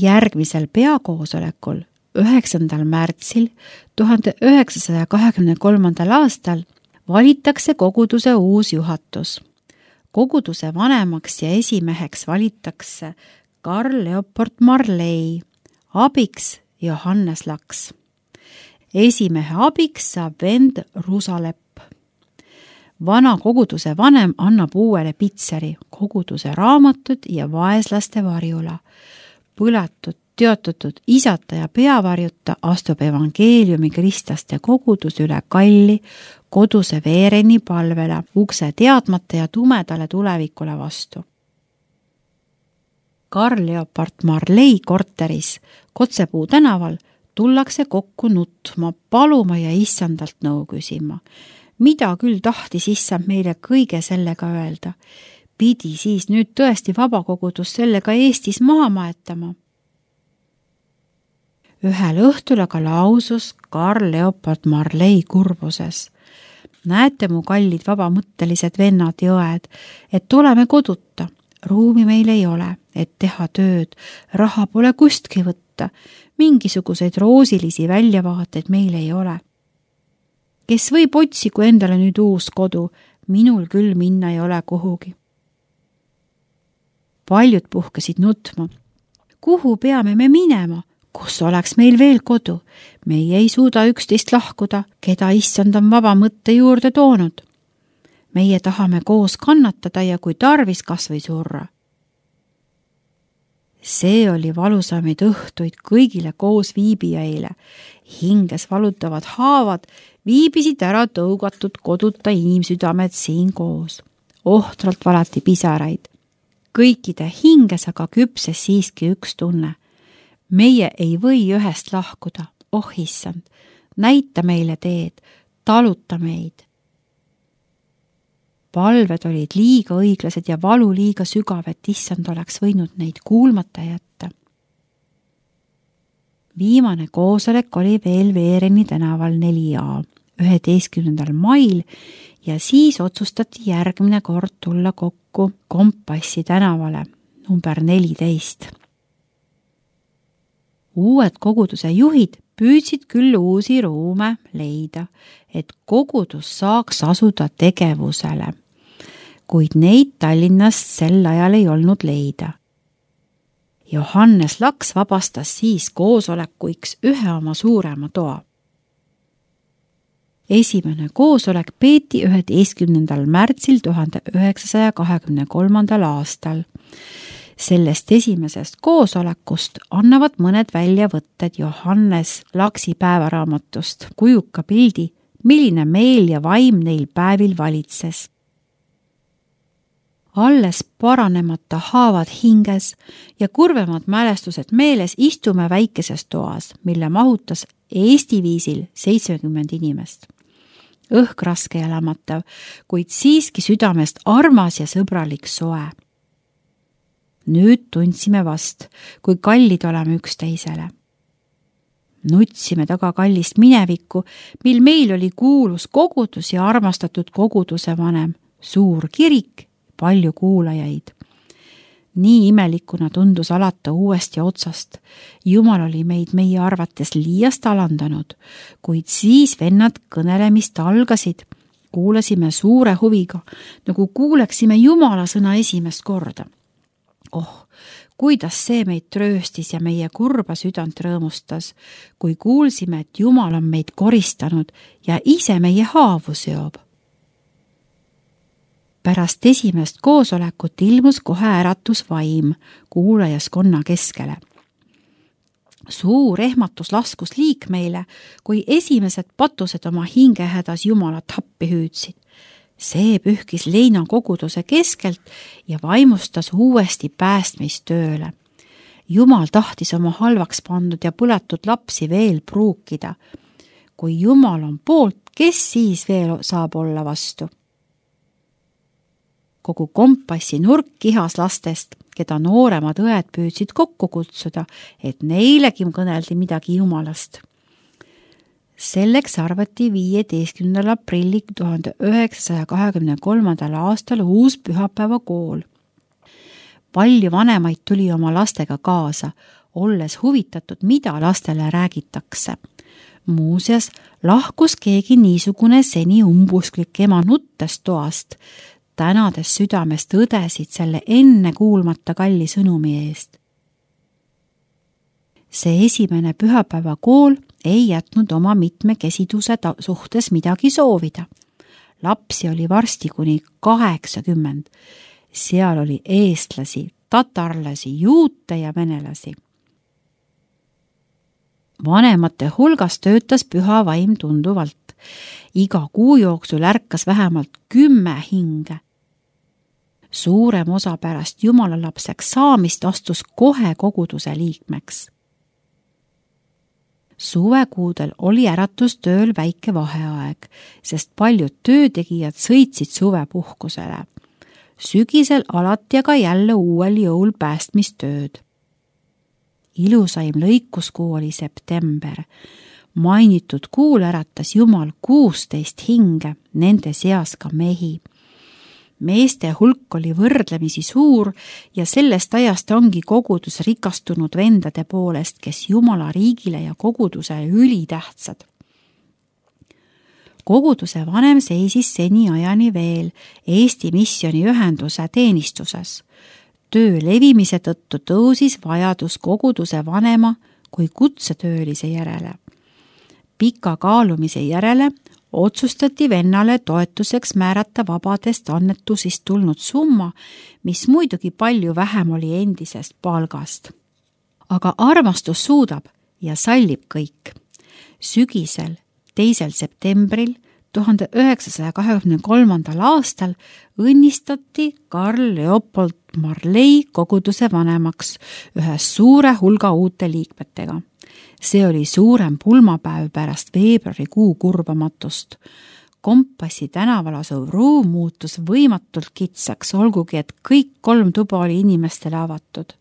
Järgmisel peakoosolekul 9. märtsil 1923. aastal valitakse koguduse uus juhatus. Koguduse vanemaks ja esimeheks valitakse Karl Leopold Marley, abiks Johannes Laks. Esimehe abiks saab vend Rusalepp. Vana koguduse vanem annab uuele pitseri, koguduse raamatud ja vaeslaste varjula. Põlatud, teotatud isata ja peavarjuta astub evangeeliumi kristlaste kogudus üle kalli koduse Veereni palvele, ukse teadmata ja tumedale tulevikule vastu. Karl Leopold Marley korteris Kotsepuu tänaval tullakse kokku nutma, paluma ja issandalt nõu küsima. Mida küll tahtis issand meile kõige sellega öelda? Pidi siis nüüd tõesti vabakogudus sellega Eestis maha maetama? Ühel õhtul aga lausus Karl Leopold Marley kurbuses. Näete, mu kallid vabamõttelised vennad ja õed, et oleme koduta. Ruumi meil ei ole, et teha tööd, raha pole kustki võtta, mingisuguseid roosilisi väljavaateid meil ei ole. Kes võib otsigu endale nüüd uus kodu, minul küll minna ei ole kuhugi. Paljud puhkesid nutma. Kuhu peame me minema? Kus oleks meil veel kodu? Meie ei suuda üksteist lahkuda, keda issand on vaba mõtte juurde toonud. Meie tahame koos kannatada ja kui tarvis kas või surra. See oli valusamaid õhtuid kõigile koos viibijaile. Hinges valutavad haavad viibisid ära tõugatud koduta inimsüdamed siin koos. Ohtralt valati pisaraid. Kõikide hinges aga küpses siiski üks tunne. Meie ei või ühest lahkuda, oh issand, näita meile teed, taluta meid. Palved olid liiga õiglased ja valu liiga sügav, et issand oleks võinud neid kuulmata jätta. Viimane koosolek oli veel Veereni tänaval 4A 11. mail ja siis otsustati järgmine kord tulla kokku Kompassi tänavale number 14. Uued koguduse juhid püüdsid küll uusi ruume leida, et kogudus saaks asuda tegevusele, kuid neid Tallinnast sel ajal ei olnud leida. Johannes Laks vabastas siis koosolekuiks ühe oma suurema toa. Esimene koosolek peeti 11. märtsil 1923. aastal. Sellest esimesest koosolekust annavad mõned väljavõtted Johannes Laksi päevaraamatust, kujuka pildi, milline meel ja vaim neil päevil valitses. Alles paranemata haavad hinges ja kurvemad mälestused meeles istume väikeses toas, mille mahutas Eesti viisil 70 inimest. Õhk raske ja lämmatav, kuid siiski südamest armas ja sõbralik soe. Nüüd tundsime vast, kui kallid oleme üksteisele. Nutsime taga kallist minevikku, mil meil oli kuulus kogudus ja armastatud koguduse vanem, suur kirik, palju kuulajaid. Nii imelikuna tundus alata uuesti otsast. Jumal oli meid meie arvates liiast alandanud, kuid siis vennad kõnelemist algasid. Kuulasime suure huviga, nagu kuuleksime Jumala sõna esimest korda. Oh, kuidas see meid trööstis ja meie kurba südant rõõmustas, kui kuulsime, et Jumal on meid koristanud ja ise meie haavu seob. Pärast esimest koosolekut ilmus kohe äratusvaim kuulajaskonna keskele. Suur ehmatus laskus liikmeile, kui esimesed patused oma hingehädas Jumalat appi hüüdsid. See pühkis leina koguduse keskelt ja vaimustas uuesti päästmistööle. Jumal tahtis oma halvaks pandud ja põletud lapsi veel pruukida. Kui Jumal on poolt, kes siis veel saab olla vastu? Kogu Kompassi nurk kihas lastest, keda nooremad õed püüdsid kokku kutsuda, et neilegi kõneldi midagi Jumalast. Selleks arvati 15. aprilli 1923. aastal uus pühapäevakool. Palju vanemaid tuli oma lastega kaasa, olles huvitatud, mida lastele räägitakse. Muuseas, lahkus keegi niisugune seni umbusklik ema nuttes toast, tänades südamest õdesid selle enne kuulmata kalli sõnumi eest. See esimene pühapäevakool ei jätnud oma mitmekesiduse suhtes midagi soovida. Lapsi oli varsti kuni 80. Seal oli eestlasi, tatarlasi, juute ja venelasi. Vanemate hulgas töötas püha vaim tunduvalt. Iga kuu jooksul ärkas vähemalt 10 hinge. Suurem osa pärast jumalalapseks saamist astus kohe koguduse liikmeks. Suvekuudel oli äratustööl väike vaheaeg, sest paljud töötegijad sõitsid suvepuhkusele. Sügisel alati aga jälle uuel jõul päästmistööd. Ilusaim lõikuskuu oli september. Mainitud kuul äratas Jumal 16 hinge, nende seas ka mehi. Meeste hulk oli võrdlemisi suur ja sellest ajast ongi kogudus rikastunud vendade poolest, kes Jumala riigile ja kogudusele ülitähtsad. Koguduse vanem seisis seni ajani veel Eesti Missioniühenduse teenistuses. Töö levimise tõttu tõusis vajadus koguduse vanema kui kutsetöölise järele. Pika kaalumise järele otsustati vennale toetuseks määrata vabadest annetusist tulnud summa, mis muidugi palju vähem oli endisest palgast. Aga armastus suudab ja sallib kõik. Sügisel 2. septembril 1923. aastal õnnistati Karl Leopold Marley koguduse vanemaks ühes suure hulga uute liikmetega. See oli suurem pulmapäev pärast veebruarikuu kurvamatust. Kompassi tänaval asuv ruum muutus võimatult kitsaks, olgugi et kõik 3 tuba oli inimestele avatud.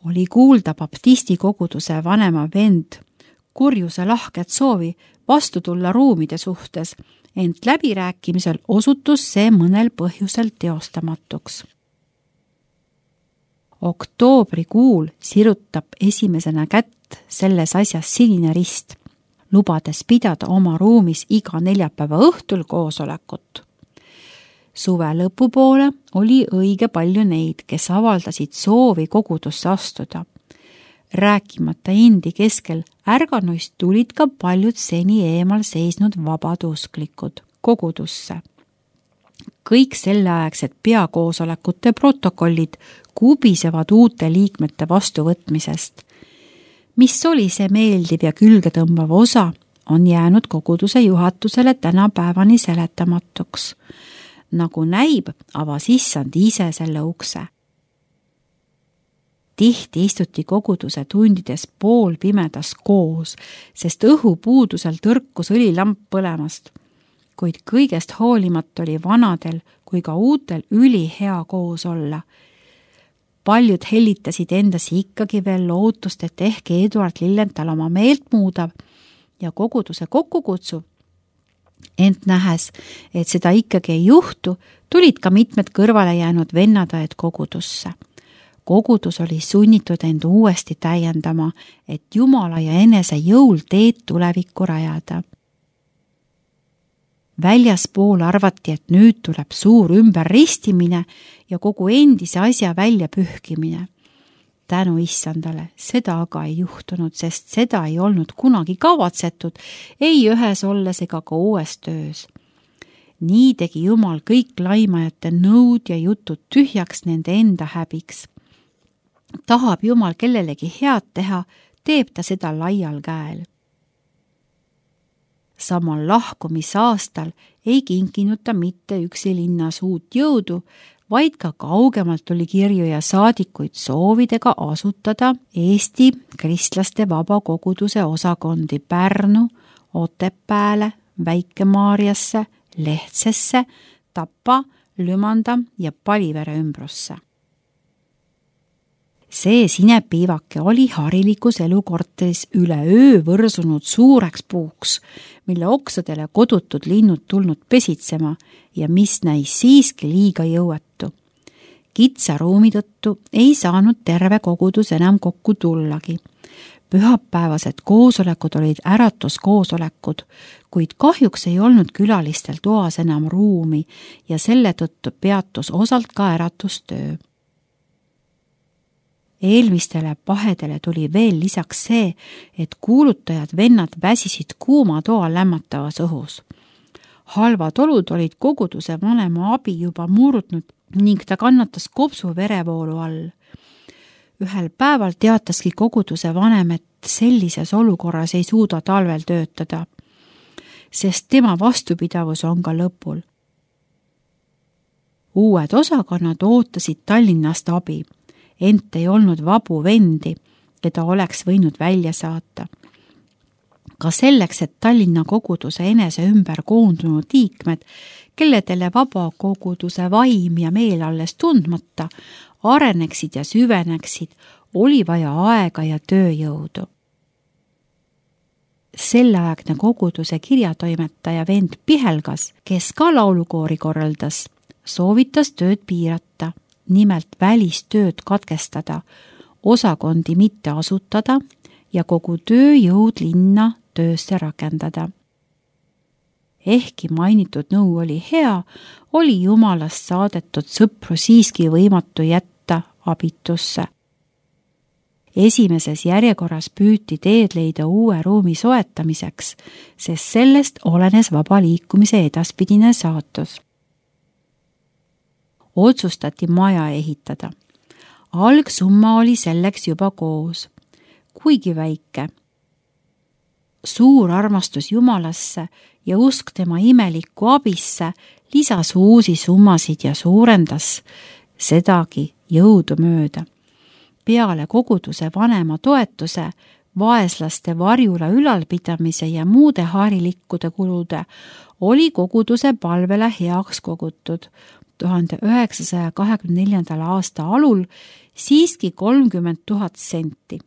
Oli kuulda baptisti koguduse vanema vend kurjuse lahket soovi vastu tulla ruumide suhtes, ent läbirääkimisel osutus see mõnel põhjusel teostamatuks. Oktoobrikuul sirutab esimesena kätt selles asjas Sinine Rist, lubades pidada oma ruumis iga neljapäeva õhtul koosolekut. Suve lõpupoole oli õige palju neid, kes avaldasid soovi kogudusse astuda. Rääkimata Indi keskel ärganuist tulid ka paljud seni eemal seisnud vabadusklikud kogudusse. Kõik selleaegsed peakoosolekute protokollid kubisevad uute liikmete vastuvõtmisest. Mis oli see meeldiv ja külgetõmbav osa, on jäänud koguduse juhatusele tänapäevani seletamatuks. Nagu näib, avas issand ise selle ukse. Tihti istuti koguduse tundides poolpimedas koos, sest õhupuudusel tõrkus õlilamp põlemast. Kuid kõigest hoolimata oli vanadel kui ka uutel ülihea koos olla. Paljud hellitasid endasi ikkagi veel lootust, et ehk Eduard Lillenthal oma meelt muudab ja koguduse kokku kutsub. Ent nähes, et seda ikkagi ei juhtu, tulid ka mitmed kõrvale jäänud vennadaed kogudusse. Kogudus oli sunnitud end uuesti täiendama, et Jumala ja enese jõul teed tulevikku rajada. Väljaspool arvati, et nüüd tuleb suur ümberristimine ja kogu endise asja väljapühkimine. Tänu issandale, seda aga ei juhtunud, sest seda ei olnud kunagi kavatsetud, ei ühes olles ega ka uues töös. Nii tegi Jumal kõik laimajate nõud ja jutud tühjaks nende enda häbiks. Tahab Jumal kellelegi head teha, teeb ta seda laial käel. Samal lahkumisaastal ei kinkinud ta mitte üksi linnas uut jõudu, vaid ka kaugemalt oli kirju ja saadikuid soovidega asutada Eesti kristlaste vabakoguduse osakondi Pärnu, Otepääle, Väike-Maarjasse, Lehtsesse, Tapa, Lümanda ja Palivere ümbrusse. See sinepiivake oli harilikus elukorteris üle öö võrsunud suureks puuks, mille oksadele kodutud linnud tulnud pesitsema ja mis näis siiski liiga jõuetu. Kitsa ruumi tõttu ei saanud terve kogudus enam kokku tullagi. Pühapäevased koosolekud olid äratuskoosolekud, kuid kahjuks ei olnud külalistel toas enam ruumi ja selle tõttu peatus osalt ka äratustöö. Eelmistele pahedele tuli veel lisaks see, et kuulutajad vennad väsisid kuuma toa lämmatavas õhus. Halvad olud olid koguduse vanema abi juba murdnud ning ta kannatas kopsu verevoolu all. Ühel päeval teataski koguduse vanem, et sellises olukorras ei suuda talvel töötada, sest tema vastupidavus on ka lõpul. Uued osakonnad ootasid Tallinnast abi, ent ei olnud vabu vendi, keda oleks võinud välja saata. Ka selleks, et Tallinna koguduse enese ümber koondunud liikmed, kelledele vaba koguduse vaim ja meel alles tundmata, areneksid ja süveneksid, oli vaja aega ja tööjõudu. Selleaegne koguduse kirjatoimetaja vend Pihelgas, kes ka laulukoori korraldas, soovitas tööd piirata, nimelt välistööd katkestada, osakondi mitte asutada ja kogu tööjõud linna töösse rakendada. Ehkki mainitud nõu oli hea, oli Jumalast saadetud sõpru siiski võimatu jätta abitusse. Esimeses järjekorras püüti teed leida uue ruumi soetamiseks, sest sellest olenes vaba liikumise edaspidine saatus. Otsustati maja ehitada. Algsumma oli selleks juba koos, kuigi väike. Suur armastus Jumalasse ja usk tema imelikku abisse lisas uusi summasid ja suurendas sedagi jõudu mööda. Peale koguduse vanema toetuse, vaeslaste varjula ülalpidamise ja muude harilikkude kulude oli koguduse palvele heaks kogutud 1924. aasta alul siiski 30 000 senti.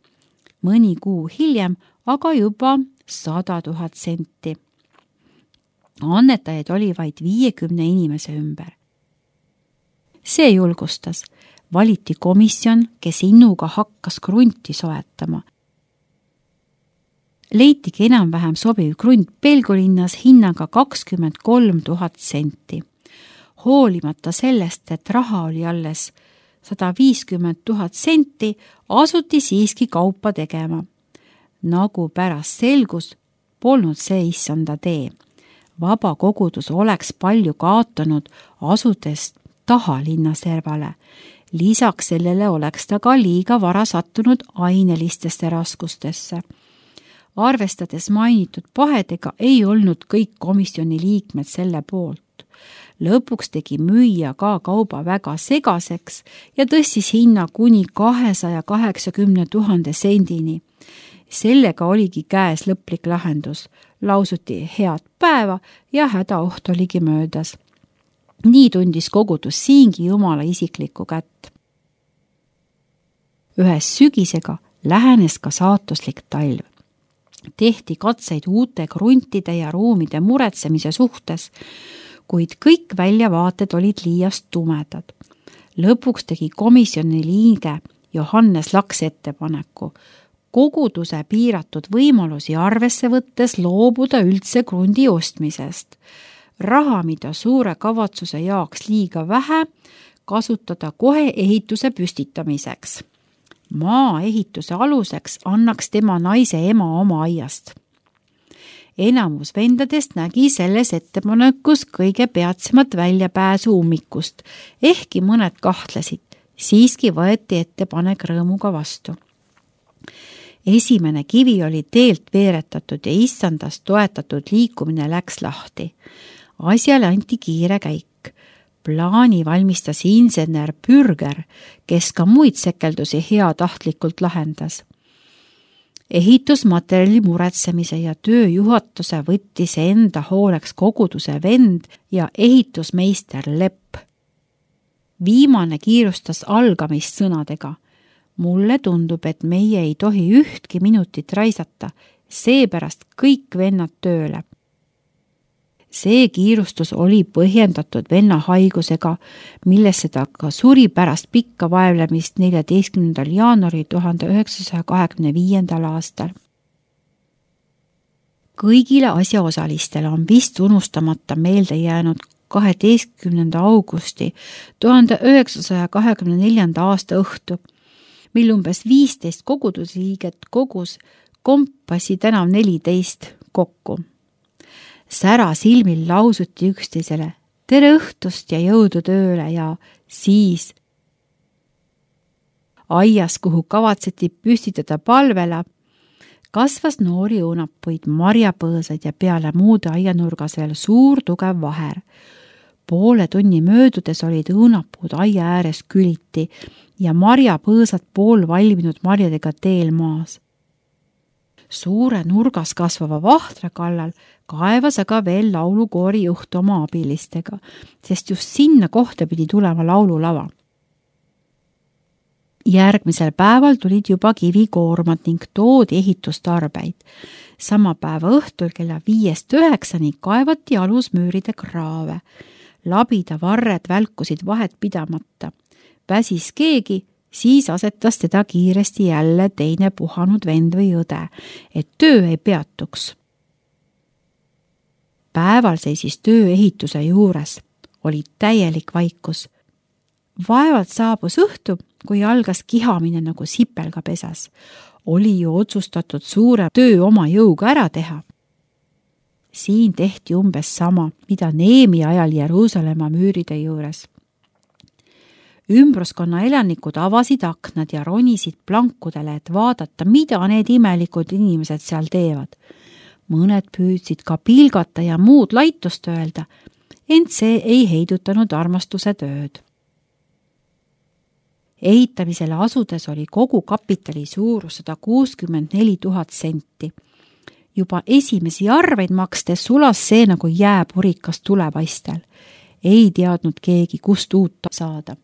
Mõni kuu hiljem aga juba 100 000 senti. Annetajaid oli vaid 50 inimese ümber. See julgustas. Valiti komisjon, kes innuga hakkas krunti soetama. Leitigi enam-vähem sobiv krunt Pelgulinnas hinnaga 23 000 senti. Hoolimata sellest, et raha oli alles 150 000 senti, asuti siiski kaupa tegema. Nagu pärast selgus, polnud see issanda tee. Vaba kogudus oleks palju kaotanud asudes taha linnaservale. Lisaks sellele oleks ta ka liiga vara sattunud ainelistesse raskustesse. Arvestades mainitud pahedega ei olnud kõik komisjoni liikmed selle poolt. Lõpuks tegi müüja ka kauba väga segaseks ja tõstis hinna kuni 280 000 sendini. Sellega oligi käes lõplik lahendus. Lausuti head päeva ja hädaoht oligi möödas. Nii tundis kogudus siingi Jumala isiklikku kätt. Ühes sügisega lähenes ka saatuslik talv. Tehti katseid uute kruntide ja ruumide muretsemise suhtes, kuid kõik väljavaated olid liiast tumedad. Lõpuks tegi komisjoni liige Johannes Laks ettepaneku koguduse piiratud võimalusi arvesse võttes loobuda üldse krundi ostmisest. Raha, mida suure kavatsuse jaoks liiga vähe, kasutada kohe ehituse püstitamiseks. Maa ehituse aluseks annaks tema naise ema oma aiast. Enamus vendadest nägi selles ettepanekus kõige peatsemat väljapääsu ummikust, ehkki mõned kahtlesid, siiski võeti ettepanek rõõmuga vastu. Esimene kivi oli teelt veeretatud ja issandast toetatud liikumine läks lahti. Asjale anti kiire käik. Plaani valmistas insener Pürger, kes ka muid sekeldusi heatahtlikult lahendas. Ehitusmaterjali muretsemise ja tööjuhatuse võttis enda hooleks koguduse vend ja ehitusmeister Lepp. Viimane kiirustas algamist sõnadega. Mulle tundub, et meie ei tohi ühtki minutit raisata, seepärast kõik vennad tööle. See kiirustus oli põhjendatud venna haigusega, millesse ta ka suri pärast pikka vaevlemist 14. jaanuari 1925. aastal. Kõigile asjaosalistele on vist unustamata meelde jäänud 12. augusti 1924. aasta õhtu, mil umbes 15 kogudusliiget kogus Kompassi tänav 14 kokku. Sära silmil lausuti üksteisele tere õhtust ja jõudu tööle ja siis aias, kuhu kavatseti püstitada palvela, kasvas noori õunapuid, marjapõõsaid ja peale muude aianurgas veel suur tugev vaher. Poole tunni möödudes olid õunapuud aia ääres küliti ja marjapõõsad pool valminud marjadega teel maas. Suure nurgas kasvava vahtra kallal kaevas aga veel laulukoori juht oma abilistega, sest just sinna kohta pidi tulema laululava. Järgmisel päeval tulid juba kivikoormad ning toodi ehitustarbeid. Sama päeva õhtul kella 5-9 kaevati alusmüüride kraave. Labida varred välkusid vahet pidamata. Väsis keegi, siis asetas teda kiiresti jälle teine puhanud vend või õde, et töö ei peatuks. Päeval seisis töö ehituse juures. Oli täielik vaikus. Vaevalt saabus õhtu, kui algas kihamine nagu sipelgapesas. Oli ju otsustatud suure töö oma jõuga ära teha. Siin tehti umbes sama, mida Neemi ajal Jeruusalemma müüride juures. Ümbruskonna elanikud avasid aknad ja ronisid plankudele, et vaadata, mida need imelikud inimesed seal teevad. Mõned püüdsid ka pilgata ja muud laitust öelda, ent see ei heidutanud armastuse tööd. Ehitamisele asudes oli kogu kapitali suurus 164 000 senti. Juba esimesi arveid makstes sulas see nagu jääpurikas tulepaistel. Ei teadnud keegi, kust uut saada.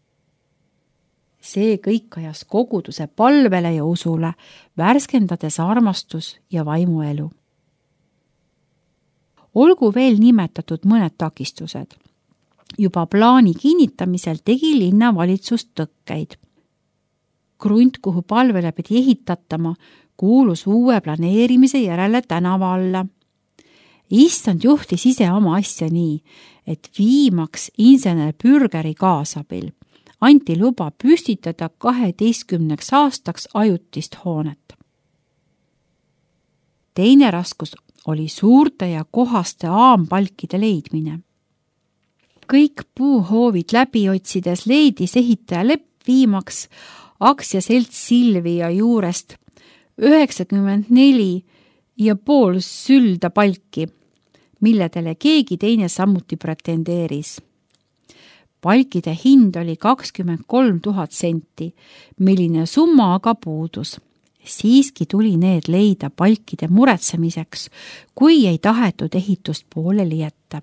See kõik ajas koguduse palvele ja usule, värskendades armastus ja vaimuelu. Olgu veel nimetatud mõned takistused. Juba plaani kinnitamisel tegi linnavalitsus tõkkeid. Krunt, kuhu palvele pidi ehitatama, kuulus uue planeerimise järele tänava alla. Issand juhtis ise oma asja nii, et viimaks insener Bürgeri kaasabil anti luba püstitada 12 aastaks ajutist hoonet. Teine raskus oli suurte ja kohaste aampalkide leidmine. Kõik puuhoovid läbi otsides leidis ehitaja Lepp viimaks aktsiaselts Silvia juurest 94,5 sülda palki, milledele keegi teine samuti pretendeeris. Palkide hind oli 23 000 senti, milline summa aga puudus. Siiski tuli need leida palkide muretsemiseks, kui ei tahetud ehitust pooleli jätta.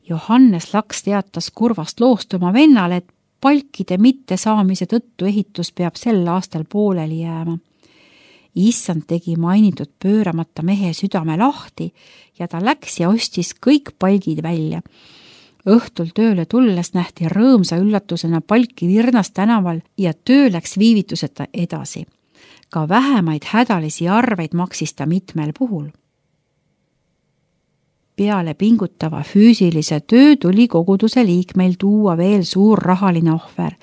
Johannes Laks teatas kurvast loost oma vennale, et palkide mittesaamise tõttu ehitus peab sel aastal pooleli jääma. Issand tegi mainitud pööramata mehe südame lahti ja ta läks ja ostis kõik palgid välja. Õhtul tööle tulles nähti rõõmsa üllatusena palki Virnas tänaval ja töö läks viivituseta edasi. Ka vähemaid hädalisi arveid maksis ta mitmel puhul. Peale pingutava füüsilise töö tuli koguduse liikmeil tuua veel suur rahaline ohver.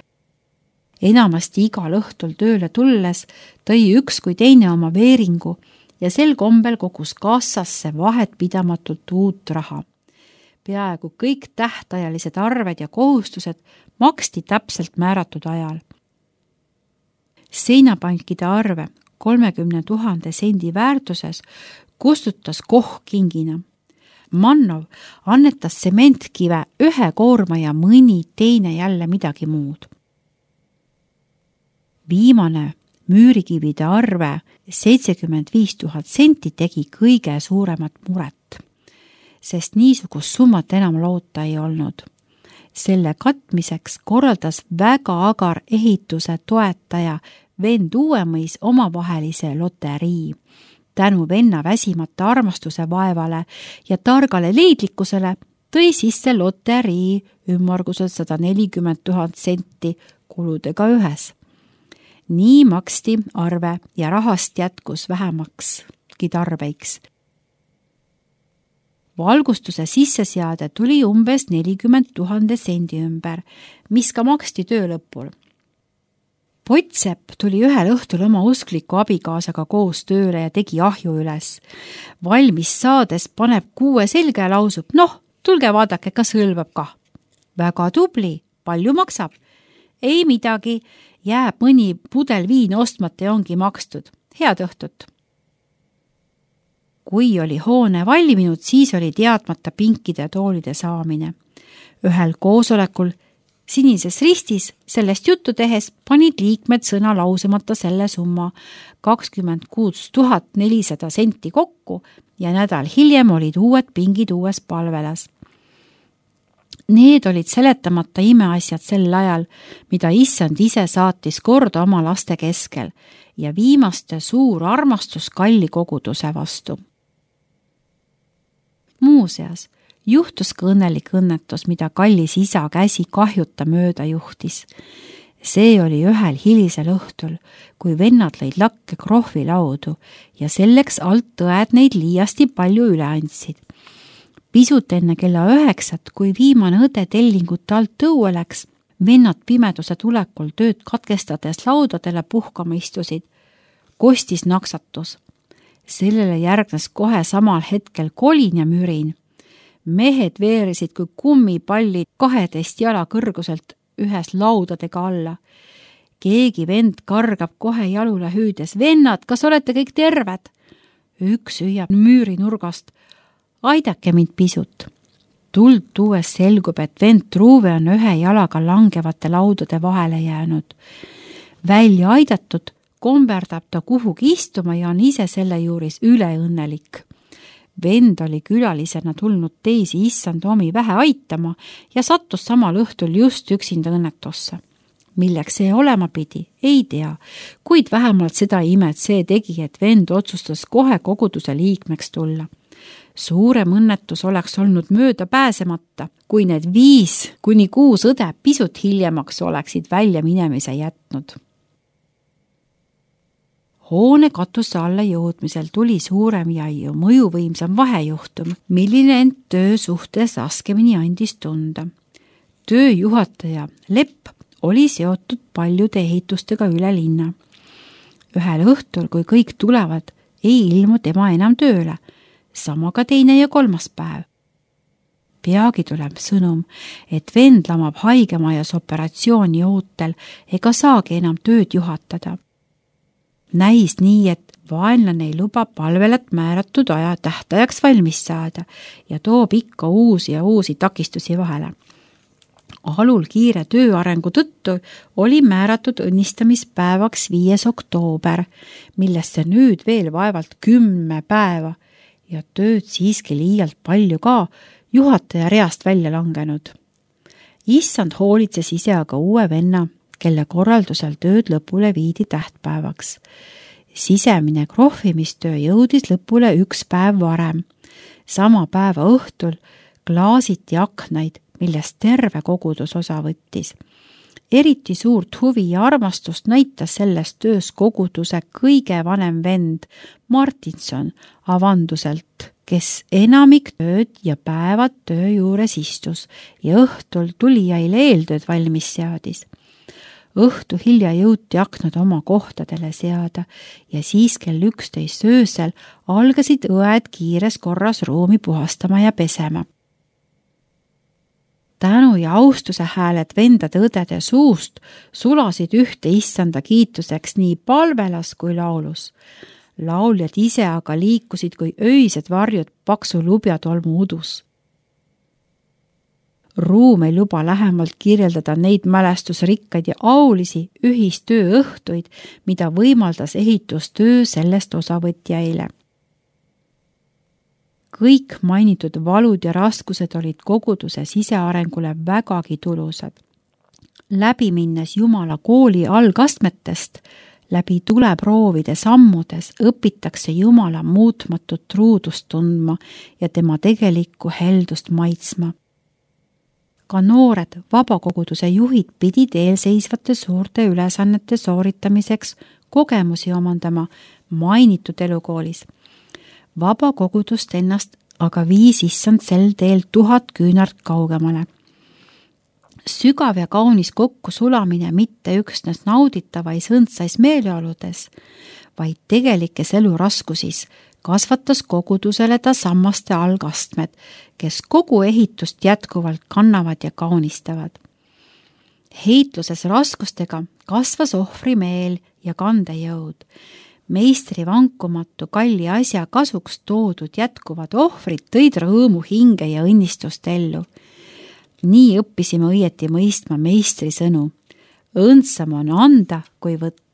Enamasti igal õhtul tööle tulles tõi üks kui teine oma veeringu ja sel kombel kogus kassasse vahet pidamatult uut raha. Peaaegu kõik tähtajalised arved ja kohustused maksti täpselt määratud ajal. Seinapankide arve 30 000 sendi väärtuses kustutas Koh kingina. Mannov annetas sementkive 1 koorma ja mõni teine jälle midagi muud. Viimane müürikivide arve 75 000 senti tegi kõige suuremat muret, sest niisugust summat enam loota ei olnud. Selle katmiseks korraldas väga agar ehituse toetaja vend Uuemõis omavahelise loterii. Tänu venna väsimata armastuse vaevale ja targale leidlikkusele tõi sisse loterii ümmarguselt 140 000 senti kuludega ühes. Nii maksti arve ja rahast jätkus vähemakski tarbeiks. Valgustuse sisseseade tuli umbes 40 000 sendi ümber, mis ka maksti töö lõpul. Potsepp tuli ühel õhtul oma uskliku abikaasaga koos tööle ja tegi ahju üles. Valmis saades paneb kuue selga ja lausub, noh, tulge vaadake, kas hõlvab ka. Väga tubli, palju maksab? Ei midagi, jääb mõni pudel viin ostmata ja ongi makstud. Head õhtut! Kui oli hoone valminud, siis oli teadmata pinkide ja toolide saamine. Ühel koosolekul Sinises Ristis sellest juttu tehes panid liikmed sõna lausemata selle summa 26 400 senti kokku ja nädal hiljem olid uued pingid uues palvelas. Need olid seletamata imeasjad sel ajal, mida issand ise saatis korda oma laste keskel ja viimaste suur armastus kalli koguduse vastu. Muuseas, juhtus ka õnnelik õnnetus, mida kallis isa käsi kahjuta mööda juhtis. See oli ühel hilisel õhtul, kui vennad lõid lakke krohvi laudu ja selleks alt õed neid liiasti palju üle andsid. Pisut enne kella 9, kui viimane õde tellingut alt tõue läks, vennad pimeduse tulekul tööd katkestades laudadele puhkama istusid. Kostis naksatus. Sellele järgnes kohe samal hetkel kolin ja mürin. Mehed veerisid kui kummipallid 12 jala kõrguselt ühes laudadega alla. Keegi vend kargab kohe jalule hüüdes, vennad, kas olete kõik terved? Üks hüüab müüri nurgast, aidake mind pisut. Tuld tuues selgub, et vend Truuve on ühe jalaga langevate laudade vahele jäänud. Välja aidatud komberdab ta kuhugi istuma ja on ise selle juuris üleõnnelik. Vend oli külalisena tulnud teisi issand omi vähe aitama ja sattus samal õhtul just üksinda õnnetusse. Milleks see olema pidi, ei tea, kuid vähemalt seda imet see tegi, et vend otsustas kohe koguduse liikmeks tulla. Suurem õnnetus oleks olnud mööda pääsemata, kui need 5 kuni 6 õde pisut hiljemaks oleksid välja minemise jätnud. Hoone katuse alla jõudmisel tuli suurem ja mõjuvõimsam vahejuhtum, milline end töö suhtes raskemini andis tunda. Tööjuhataja Lepp oli seotud paljude ehitustega üle linna. Ühel õhtul, kui kõik tulevad, ei ilmu tema enam tööle, sama ka 2. ja 3. päev. Peagi tuleb sõnum, et vend lamab haigemajas operatsiooni ootel ega saagi enam tööd juhatada. Näis nii, et vaenlane ei luba palvelat määratud aja tähtajaks valmis saada ja toob ikka uusi ja uusi takistusi vahele. Alul kiire tööarengu tõttu oli määratud õnnistamispäevaks 5. oktoober, millesse nüüd veel vaevalt 10 päeva ja tööd siiski liialt palju ka juhataja reast välja langenud. Issand hoolitses ise aga uue venna, kelle korraldusel tööd lõpule viidi tähtpäevaks. Sisemine krohvimistöö jõudis lõpule 1 päev varem. Sama päeva õhtul klaasiti aknaid, millest terve kogudus osa võttis. Eriti suurt huvi ja armastust näitas selles töös koguduse kõige vanem vend Martinson avanduselt, kes enamik tööd ja päevad töö juures istus ja õhtul tulijaile eeltööd valmis seadis. Õhtu hilja jõuti aknad oma kohtadele seada ja siis kell 11 öösel algasid õed kiires korras ruumi puhastama ja pesema. Tänu ja austuse hääled vendade õdede suust sulasid ühte issanda kiituseks nii palvelas kui laulus. Lauljad ise aga liikusid kui öised varjud paksu lubjatolmu udus. Ruum ei luba lähemalt kirjeldada neid mälestusrikkaid ja aulisi ühistöö õhtuid, mida võimaldas ehitustöö sellest osavõtjaile. Kõik mainitud valud ja raskused olid koguduse sisearengule vägagi tulusad. Läbi minnes Jumala kooli algastmetest Läbi tuleproovide sammudes õpitakse Jumala muutmatut truudust tundma ja tema tegelikku heldust maitsma. Ka noored vabakoguduse juhid pidid eelseisvate suurte ülesannete sooritamiseks kogemusi omandama mainitud elukoolis. Vabakogudust ennast aga viis issand sel teel 1000 küünart kaugemale. Sügav ja kaunis kokkusulamine mitte üksnes nauditavais õndsais meeleoludes, vaid tegelikes eluraskusis kasvatas kogudusele ta sammaste algastmed, kes kogu ehitust jätkuvalt kannavad ja kaunistavad. Heitluses raskustega kasvas ohvri meel ja kandejõud. Meistri vankumatu kalli asja kasuks toodud jätkuvad ohvrid tõid rõõmu hinge ja õnnistust ellu. Nii õppisime õieti mõistma meistri sõnu. Õndsam on anda kui võtta.